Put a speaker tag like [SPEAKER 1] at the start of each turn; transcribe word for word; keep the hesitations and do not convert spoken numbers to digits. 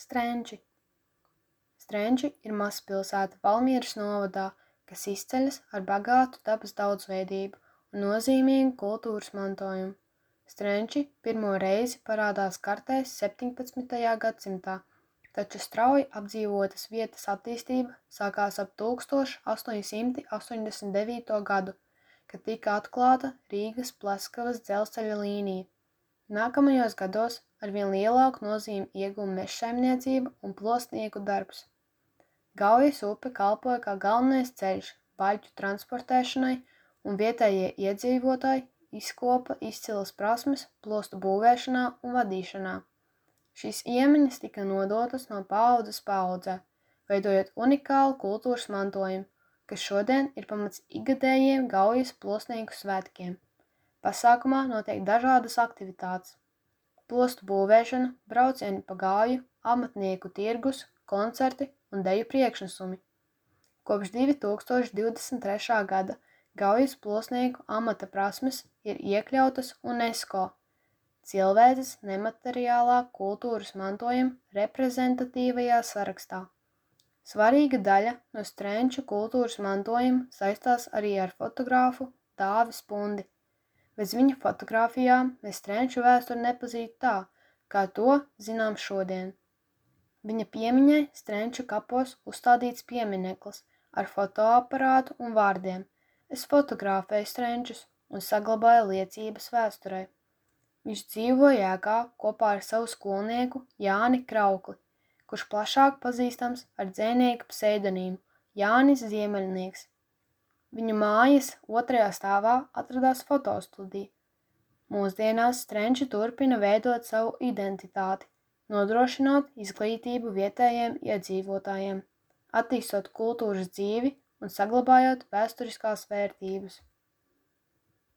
[SPEAKER 1] Strenči. Strenči ir mazpilsēta Valmieras novadā, kas izceļas ar bagātu dabas daudzveidību un nozīmīgu kultūras mantojumu. Strenči pirmo reizi parādās kartēs septiņpadsmitajā gadsimtā, taču strauji apdzīvotas vietas attīstība sākās ap tūkstoš astoņsimt astoņdesmit devīto gadu, kad tika atklāta Rīgas Pleskavas dzelzceļa līnija. Nākamajos gados arvien lielāku nozīmi ieguva mežsaimniecība un plostnieku darbs. Gaujas upe kalpoja kā galvenais ceļš baļķu transportēšanai, un vietējie iedzīvotāji izkopa izcilas prasmes plostu būvēšanā un vadīšanā. Šīs iemaņas tika nodotas no paaudzes paaudzē, veidojot unikālu kultūras mantojumu, kas šodien ir pamats ikgadējiem Gaujas plostnieku svētkiem. Pasākumā notiek dažādas aktivitātes – plostu būvēšana, braucieni pa Gauju, amatnieku tirgus, koncerti un deju priekšnesumi. Kopš divi tūkstoši divdesmit trešā gada Gaujas plostnieku amata prasmes ir iekļautas UNESCO cilvēces nemateriālā kultūras mantojuma reprezentatīvajā sarakstā. Svarīga daļa no strenču kultūras mantojuma saistās arī ar fotogrāfu Dāvi Spundi. Bez viņa fotogrāfijām mēs strenču vēsturi nepazītu tā, kā to zinām šodien. Viņa piemiņai strenču kapos uzstādīts piemineklis ar fotoaparātu un vārdiem: Es fotografēju strenčus un saglabāju liecības vēsturē. Viņš dzīvoja ēkā kopā ar savu skolnieku Jāni Kraukli, kurš plašāk pazīstams ar dzejnieka pseidonīmu Jānis Ziemeļnieks. Viņu mājas otrajā stāvā atradās fotostudija. Mūsdienās strenči turpina veidot savu identitāti, nodrošinot izglītību vietējiem iedzīvotājiem, attīstot kultūras dzīvi un saglabājot vēsturiskās vērtības.